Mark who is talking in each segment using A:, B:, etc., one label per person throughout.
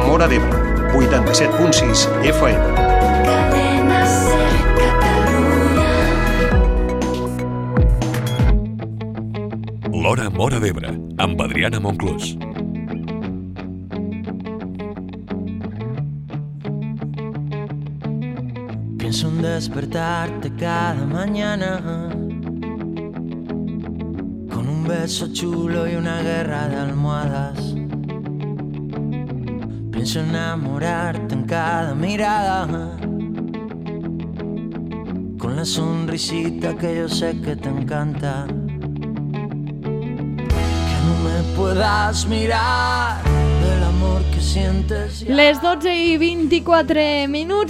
A: Móra d'Ebre, 87.6 FM.
B: Cadena Ser Catalunya.
C: L'Hora Móra d'Ebre, amb Adriana Monclús.
D: Pienso en despertarte cada mañana con un beso chulo y una guerra de almohadas. Pienso enamorarte en cada mirada con la sonrisita que yo sé que te encanta. Que no me puedas mirar del amor que sientes ya.
E: Les 12:24,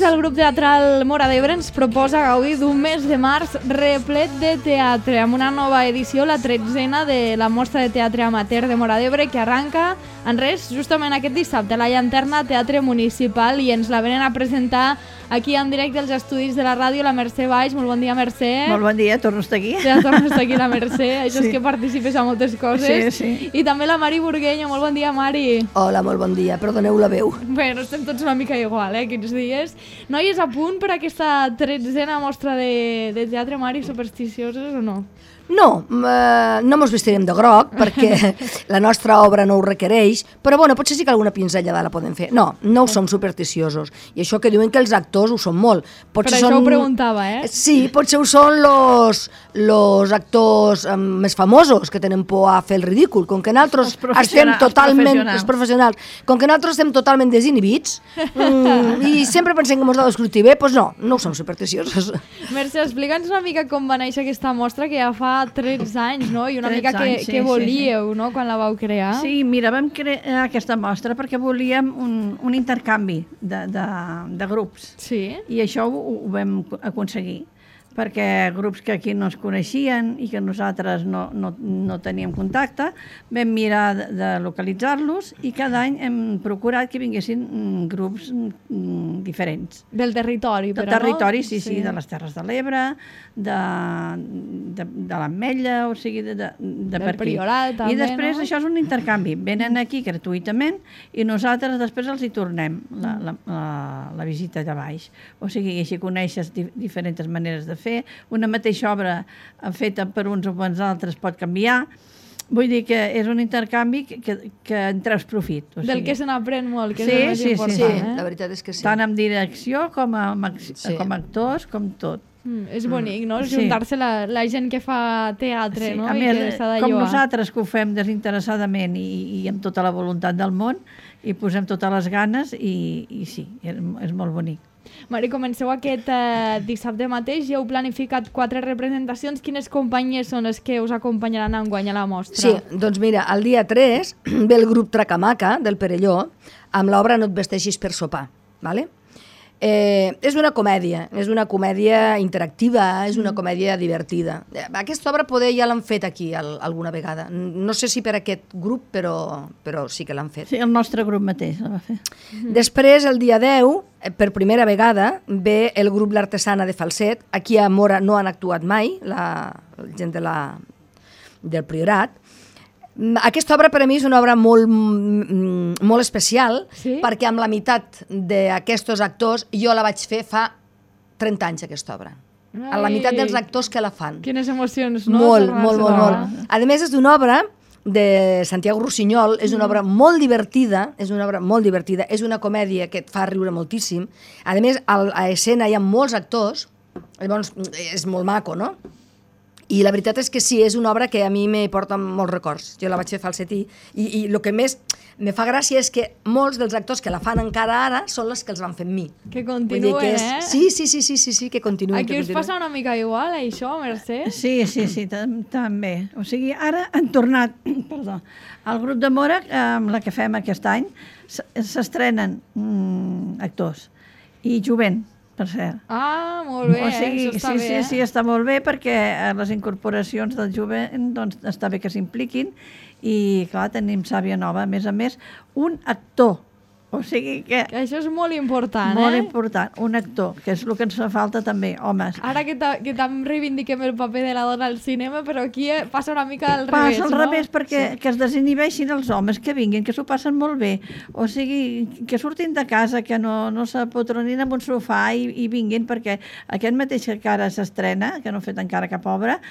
E: el grup teatral Móra d'Ebre ens proposa gaudir d'un mes de març replet de teatre, amb una nova edició, la 13a de la mostra de teatre amateur de Móra d'Ebre, que arranca en res justament aquest dissabte a la Llanterna Teatre Municipal, i ens la venen a presentar aquí en directe als estudis de la ràdio la Mercè Baix. Molt bon dia, Mercè.
F: Molt bon dia, torno a estar aquí.
E: Ja tornes a estar aquí, la Mercè. Això és que participes a moltes coses.
F: Sí.
E: I també la Mari Burgueño. Molt bon dia, Mari.
F: Hola, molt bon dia. Perdoneu la veu.
E: Bueno, estem tots una mica igual, aquests dies. Noies, a punt per aquesta 13a mostra de teatre, Mari, supersticioses o no?
F: No, no mos vestirem de groc perquè la nostra obra no ho requereix, però bueno, potser sí que alguna pinzellada la podem fer. No ho som supersticiosos. I això que diuen que els actors ho són molt.
E: Per això ho preguntava, eh?
F: Sí, potser ho són los actors més famosos que tenen por a fer el ridícul. Com que nosaltres estem totalment... Els professionals. Com que nosaltres estem totalment desinhibits i sempre pensem que mos ha d'escrutir bé, doncs no ho som supersticiosos.
E: Mercè, explica'ns una mica com va néixer aquesta mostra, que ja fa 13 anys, no? I una mica què volíeu, no?, quan la vau crear.
G: Sí, mira, vam crear aquesta mostra perquè volíem un intercanvi de grups.
E: Sí.
G: I això ho vam aconseguir, perquè grups que aquí no es coneixien i que nosaltres no teníem contacte, vam mirar de localitzar-los i cada any hem procurat que vinguessin grups diferents.
E: Del territori, però, no?
G: Del territori, sí, de les Terres de l'Ebre, de l'Ametlla, o sigui, de per aquí.
E: Priorat, també,
G: i després
E: no?
G: això és un intercanvi. Venen aquí gratuïtament i nosaltres després els hi tornem la visita de baix. O sigui, així coneixes diferents maneres de fer. Una mateixa obra feta per uns o per altres pot canviar. Vull dir que és un intercanvi que en treus profit. O sigui.
E: Del que se n'aprèn molt, que és el més important.
F: Sí, la veritat és que sí.
G: Tant en direcció com actors, com tot.
E: És bonic, no? Juntar-se la gent que fa teatre, no?
G: A més, com nosaltres que ho fem desinteressadament i amb tota la voluntat del món, i posem totes les ganes i sí, és molt bonic.
E: Mari, comenceu aquest dissabte mateix, ja heu planificat 4 representacions. Quines companyies són les que us acompanyaran enguany a la mostra?
F: Sí, doncs mira, el dia 3 ve el grup Tracamaca del Perelló amb l'obra No et vesteixis per sopar, ¿vale? És una comèdia interactiva, és una comèdia divertida. Aquesta obra poder ja l'han fet aquí alguna vegada. No sé si per aquest grup, però sí que l'han fet.
G: Sí, el nostre grup mateix la va fer.
F: Després, el dia 10, per primera vegada, ve el grup L'Artesana de Falset. Aquí a Móra no han actuat mai, la gent del Priorat. Aquesta obra per a mi és una obra molt especial, sí? Perquè amb la meitat d'aquests actors jo la vaig fer fa 30 anys, aquesta obra. A la meitat dels actors que la fan.
E: Quines emocions, no?
F: Molt. A més, és una obra de Santiago Rossinyol, és una obra molt divertida, és una comèdia que et fa riure moltíssim. A més, a escena hi ha molts actors, llavors és molt maco, no? I la veritat és que sí, és una obra que a mi me porta molts records. Jo la vaig fer falsetí i el que més me fa gràcia és que molts dels actors que la fan encara ara són els que els van fer amb mi.
E: Que continuen,
F: Sí, que continuen.
E: Aquí us passa una mica igual, això, Mercè?
G: Sí, també. O sigui, ara han tornat, al grup de Móra, amb la que fem aquest any, s'estrenen actors i jovent, per cert.
E: Ah, molt bé, això està bé.
G: Sí, està molt bé perquè les incorporacions del jovent doncs, està bé que s'impliquin i, clar, tenim sàvia nova. A més, un actor O sigui que...
E: Això és molt important,
G: Molt important. Un actor, que és el que ens fa falta també, homes.
E: Ara que tant reivindiquem el paper de la dona al cinema, però aquí passa una mica al revés,
G: Passa al revés perquè que es desinhibeixin els homes, que vinguin, que s'ho passen molt bé. O sigui, que surtin de casa, que no s'apotronin en un sofà i vinguin, perquè aquest mateix que ara s'estrena, que no ha fet encara cap obra,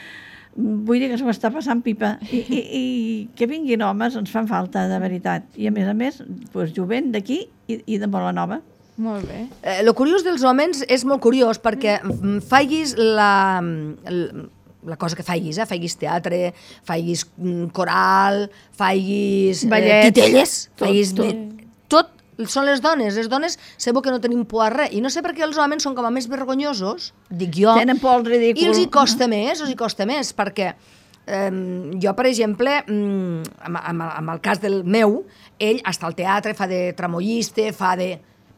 G: vull dir que s'ho està passant pipa. I que vinguin homes ens fan falta, de veritat. I a més, doncs, jovent d'aquí i de Molanova.
E: Molt bé.
F: Lo curiós dels homes és molt curiós perquè faiguis la cosa que faiguis, faiguis teatre, faiguis coral, faiguis titelles, faiguis tot, són les dones segur que no tenim por a res, i no sé per què els homes són com a més vergonyosos, dic jo,
G: tenen por al ridícul,
F: i els hi costa més, perquè jo, per exemple, amb el cas del meu, ell està al teatre, fa de tramoyista,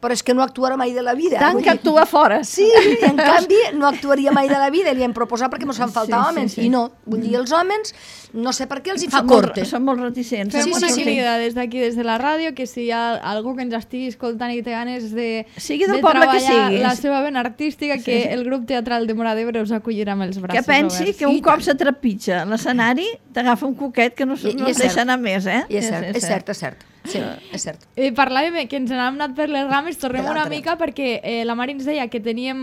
F: però és que no actuarà mai de la vida.
G: Tant que actua fora.
F: Sí, i en canvi no actuaria mai de la vida, li hem proposat perquè ens fan falta homes, i no. Vull dir, els homes, no sé per què els hi fa corte.
G: Són molt reticents.
E: Fem una crida des d'aquí, des de la ràdio, que si hi ha algú que ens estigui escoltant i té ganes de treballar la seva vena artística, que el grup teatral de Móra d'Ebre us acollirà amb els braços oberts.
G: Que pensi que un cop s'atrepitja l'escenari, t'agafa un coquet que no es deixa anar més, eh?
F: I és cert. Sí, és cert.
E: Parlàvem que ens n'hem anat per les rames, tornem una mica perquè la Mari ens deia que teníem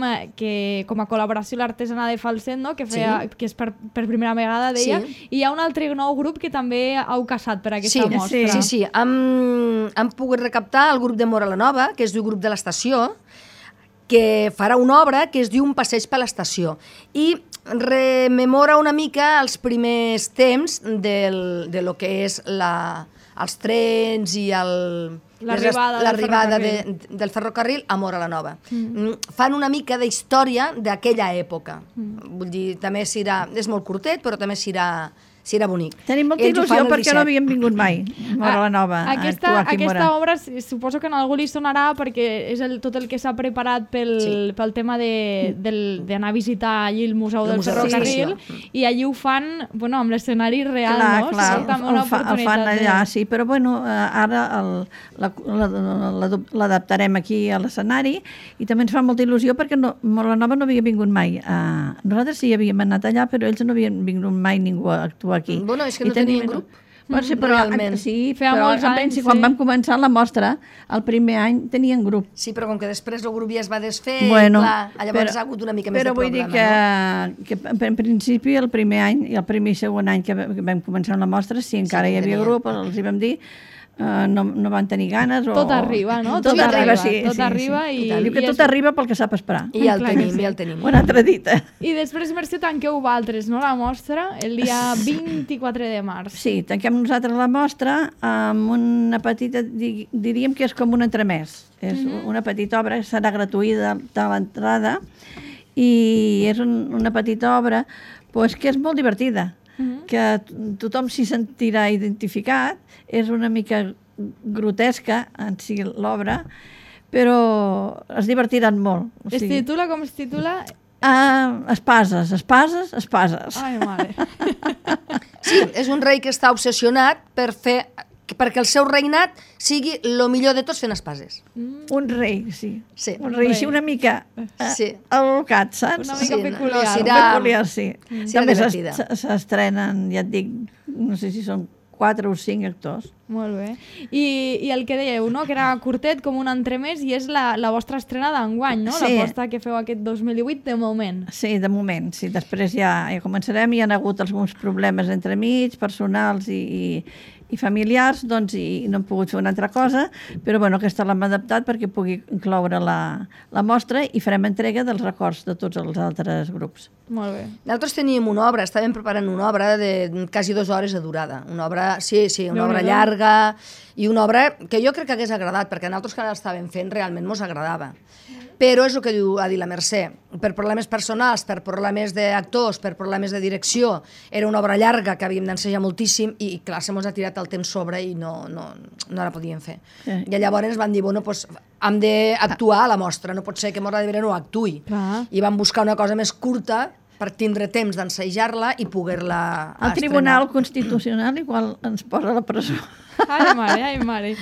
E: com a col·laboració l'artesana de Falset, no? que és per primera vegada, deia, i hi ha un altre nou grup que també heu casat per aquesta mostra.
F: Sí. Hem pogut recaptar el grup de Móra la Nova, que es diu Grup de l'Estació, que farà una obra que es diu Un passeig per l'estació, i rememora una mica els primers temps de lo que és els trens i l'arribada del ferrocarril a Móra la Nova. Fan una mica de història d'aquella època. Vull dir, també és molt curtet, però també serà bonic.
G: Tenim molta il·lusió perquè no havíem vingut mai a Móra la Nova.
E: Aquesta obra suposo que a algú li sonarà perquè és tot el que s'ha preparat pel tema d'anar a visitar allí el Museu del Ferrocarril, i allí ho fan amb l'escenari real, no?
G: Clar, el fan allà, sí, però ara l'adaptarem aquí a l'escenari i també ens fa molta il·lusió perquè Móra la Nova no havia vingut mai. Nosaltres sí havíem anat allà, però ells no havien vingut mai ningú a actuar aquí.
F: Bueno, és que no tenien grup.
G: Realment. Sí, però quan vam començar la mostra, el primer any tenien grup.
F: Sí, però com que després el grup ja es va desfer, llavors ha hagut una mica més de problema.
G: Però vull dir que en principi el primer any i el primer i segon any que vam començar la mostra, si encara hi havia grup, els hi vam dir, no van tenir ganes.
E: Tot arriba, no?
G: Tot arriba, sí.
E: Tot arriba.
G: Diu que tot arriba pel que sap esperar.
F: I ja el tenim.
G: Una altra dita.
E: I després, Mercè, tanqueu vosaltres, no?, la mostra el dia 24 de març.
G: Sí, tanquem nosaltres la mostra amb una petita, diríem que és com un entremès. És una petita obra, serà gratuïta a l'entrada, i és una petita obra que és molt divertida, que tothom s'hi sentirà identificat. És una mica grotesca en si l'obra, però es divertiran molt.
E: Es titula, com es titula?
G: Espases.
E: Ai, mare.
F: Sí, és un rei que està obsessionat perquè el seu regnat sigui el millor de tots fent espases.
G: Un rei, sí. Un rei així una mica al·locat, saps?
E: Una mica peculiar.
G: Sí. També s'estrenen, ja et dic, no sé si són 4 o 5 actors.
E: Molt bé. I el que dèieu, no?, que era curtet, com un entremès, i és la vostra estrena d'enguany, no?
G: Sí.
E: L'aposta que feu aquest 2018, de moment.
G: Sí, de moment. Sí. Després ja començarem, hi ha hagut alguns problemes entremig, personals i familiars, doncs, i no hem pogut fer una altra cosa, però aquesta l'hem adaptat perquè pugui incloure la mostra, i farem entrega dels records de tots els altres grups.
E: Molt bé.
F: Nosaltres teníem una obra, estàvem preparant una obra de quasi 2 hores de durada. Una obra, una obra llarga, i una obra que jo crec que hagués agradat, perquè nosaltres que l'estàvem fent realment mos agradava. Però és el que ha dit la Mercè, per problemes personals, per problemes d'actors, per problemes de direcció, era una obra llarga que havíem d'ensenyar moltíssim, i clar, se mos ha tirat el temps sobre i no la podíem fer. Sí. I llavors ens van dir, hem d'actuar a la mostra, no pot ser que Móra d'Ebre no actuï. I vam buscar una cosa més curta per tindre temps d'ensejar-la i poder-la estrenar.
G: El Tribunal Constitucional igual ens posa a la presó.
E: Ai, mare.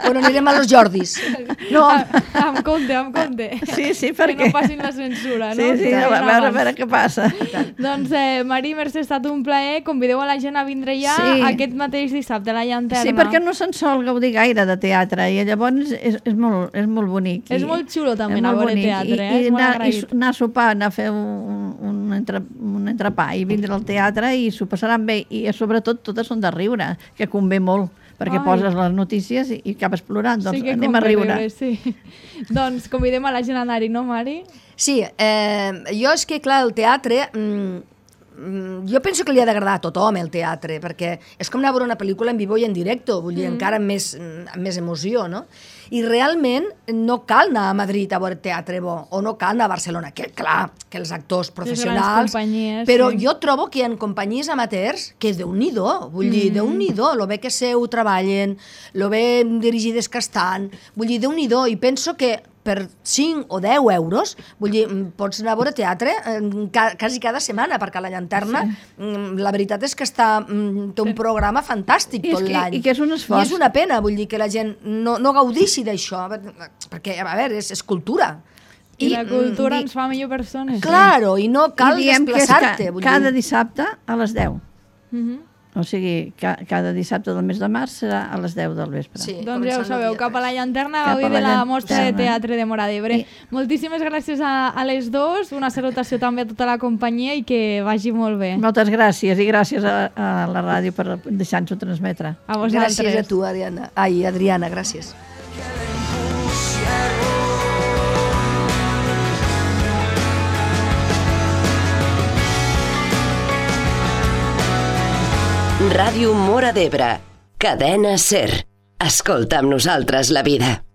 F: Bueno, anirem a los Jordis.
G: No,
E: Amb compte.
G: sí, perquè...
E: Que no passin la censura, no?
G: Sí, a veure què passa.
E: Doncs, Mari, Mercè, ha estat un plaer. Convideu a la gent a vindre ja aquest mateix dissabte a la Llanterna.
G: Sí, perquè no se'n sol gaudir gaire de teatre i llavors és molt bonic.
E: És molt xulo també anar a veure teatre, és molt agraït.
G: I anar a sopar, anar a fer un entrepà i vindre al teatre i s'ho passaran bé i sobretot totes són de riure, que convé molt, perquè poses les notícies i acabes plorant, doncs anem a riure.
E: Sí. Doncs convidem a la gent a anar-hi, no, Mari?
F: Sí, jo és que, clar, el teatre... jo penso que li ha d'agradar a tothom el teatre, perquè és com anar a veure una pel·lícula en vivo i en directe, vull dir, encara amb més emoció, no? I realment no cal anar a Madrid a veure teatre bo, o no cal anar a Barcelona, que clar, que els actors professionals... Però jo trobo que hi ha companyies amateurs que Déu-n'hi-do, vull dir, Déu-n'hi-do, lo bé que ho treballen, lo bé dirigides que estan, vull dir, Déu-n'hi-do, i penso que per 5 o 10 euros, vull dir, pots anar a veure teatre quasi cada setmana, perquè a la Llanterna la veritat és que té un programa fantàstic tot l'any.
G: I que és un esforç.
F: I és una pena, vull dir, que la gent no gaudeixi d'això, perquè, a veure, és cultura.
E: I la cultura ens fa millor persones.
F: Claro, i no cal desplaçar-te.
G: Cada dissabte a les 10. O sigui, cada dissabte del mes de març serà a les 10 del vespre.
F: Sí,
E: doncs ja ho sabeu, cap a la Llanterna, gaudir de la mostra de teatre de Móra d'Ebre. Moltíssimes gràcies a les dos, una salutació també a tota la companyia i que vagi molt bé.
G: Moltes gràcies i gràcies a la ràdio per deixar-nos-ho transmetre.
E: A vosaltres.
F: Gràcies a tu, Adriana, gràcies.
H: Ràdio Móra d'Ebre. Cadena SER. Escolta amb nosaltres la vida.